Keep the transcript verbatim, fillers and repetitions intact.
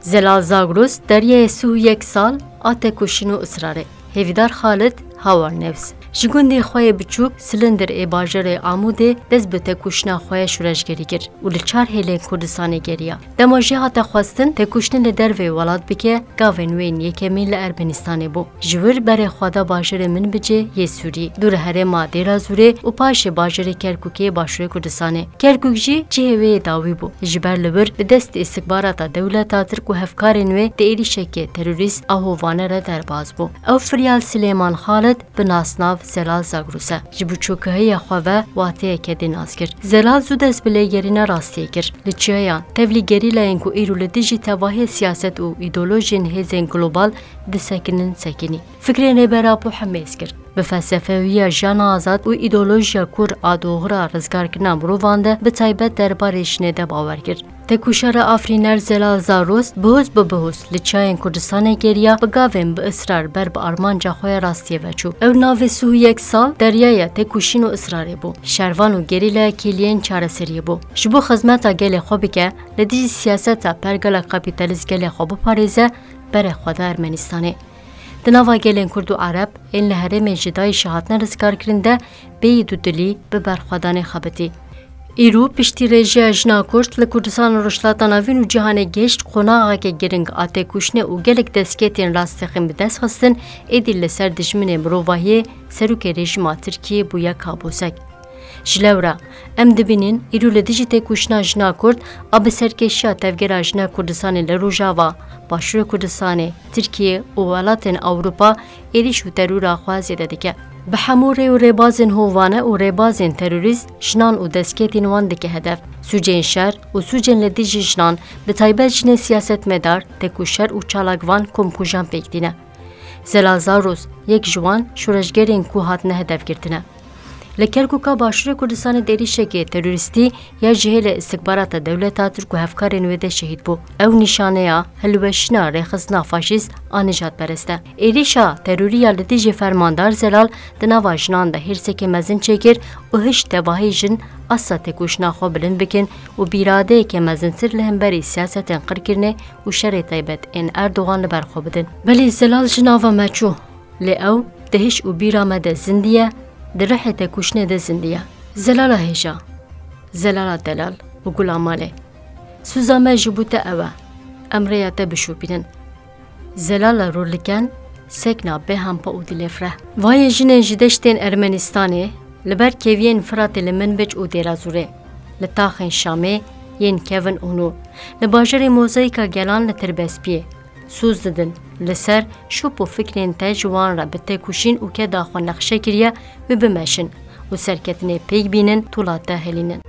Zelal Zagros, deryayê sih û yek sal a tekoşîn û israrê. Hêvîdar Xalid, Hawar News. Ji gundê xwe yê biçûk Silindir ê bajarê Amûdê dest bi tekoşîna xwe ya şoreşgerî kir û li çar hêlên Kurdistanê geriya. Dema jê hate xwestin tekoşînê li derveyî welat bike, gavên wê yên yekemîn li Ermenistanê bû. Ji wir berê xwe da bajarê Minbicê yê Sûrî, dû li herêma Dêra Zûrê û paşê bajarê Kerkûkê başûrê Kurdistanê. Kerkûk jî cihê wê yê dawî bû. Ji ber li wir bi destê îstikbarata dewleta Tirk û hevkarên wê di êrîşekê terorîst a hovane re derbas bû. Ew firyal Silêman Xalid, bi nasnav Zelal Zagros e. Ji biçûkihiya xwe ve wateyeke dê nas kir. Zelal zû dest bi lêgerîna rastiyê kir. Li çiyayan, tevlî gerîlayên ku îro li dijî tevahiyê siyaset û îdeolojiyên hêzên global disekinin sekinî. Fikrên Rêber Apo hemêz kir. Bi felsefewiya jiyana azad û îdeolojiya kûr a doxira rizgarkirina mirovan de, bi taybet derbarê jinê de bawer kir. Tekoşera afirîner Zelal Zagros bihûz bi bihûz li çiyayên Kurdistanê geriya, bi gavên bi israr ber bi armanca xwe ya rastiyê ve çû. Ew navê sih û yek sal deryaya tekoşîn û israrê bû. Şervan û gerîlaya kêliyên çareseriyê bû. Ji bo xizmeta gelê xwe bike, li dijî siyaseta pergala kapîtalîst gelê xwe biparêze, berê xwe da Ermenistanê. Di nava gelên Kurd û Ereb ên li herêmên ji DAIŞê hatine rizgarkirin de bêyî dudilî bi berxwedanê xebitî. Îro piştî rêjeya jina Kurd li Kurdistan û Rojhilata Navîn û cîhanê gihişt qonaxeke giring a têkoşînê û gelek destkeftên rastexîn bi dest xistin, êdî li ser dijminê mirovahiyê serokê rejîma Tirkiyê bûye kabûsek. Ji lewra, em dibînin îro li dijî têkoşîna jina Kurd a bi serkêşiya Tevgera Jina Kurdistanê li Rojava, Başûrê Kurdistanê, Tirkiye û welatên Ewropa êrîş û terora xwe zêde dike. Bi hemû rê û rêbazên hovane û rêbazên terorîst jinan û destkeftên wan dike hedef. Sûcên şer û sûcên li dijî jinan, bi taybet jinên siyasetmedar, têkoşer û çalakvan komkujan pêk tîne. Zelal Zagros yek ji wan şoreşgerên ku hatine hedefgirtin e. Li Kerkûka Başûrê Kurdistanê di êrîşekê terorîstî ya ji hêlê îstikbarata dewleta Tirk û hevkarên wê de şehîd bû. Ew nîşaneya hilweşîna rêxistina faşîst a nijadperest e. Êrîşa terorî ya li dijî Fermandar Zelal di nava jinan de hêrseke mezin çêkir û hişt tevahî jin asta têkoşîna xwe bilind bikin û bi îradeyeke mezintir li hemberî siyasetên qirkirinê û şerê taybet ên Erdogan li ber xwe bidin. Belê Zelal ji nava me çû. Lê ew di hiş û bîra me de zindî ye, di rihê tekoşînê de zindî ye. Zelala hêja, Zelala delal û gula malê. Sûza me ji bo te ew e, em rêya te bişopînin. Zelala rûliken, sekna bê hempa û dilêfreh. Vayê jinên ji deştên Ermenistanê, li ber keviyên Firatê li Minbic û Dêrazûrê, li taxên Şamê yên kevin û nû, li bajarê Mozayîka Gelan li Tirbespiyê, Soz didin, li ser şop û fikrên te ji wan re bi têkoşîn û keda xwe nexşe kiriye, wê bimeşin û serketinê pêk bînin, tola te hilînin.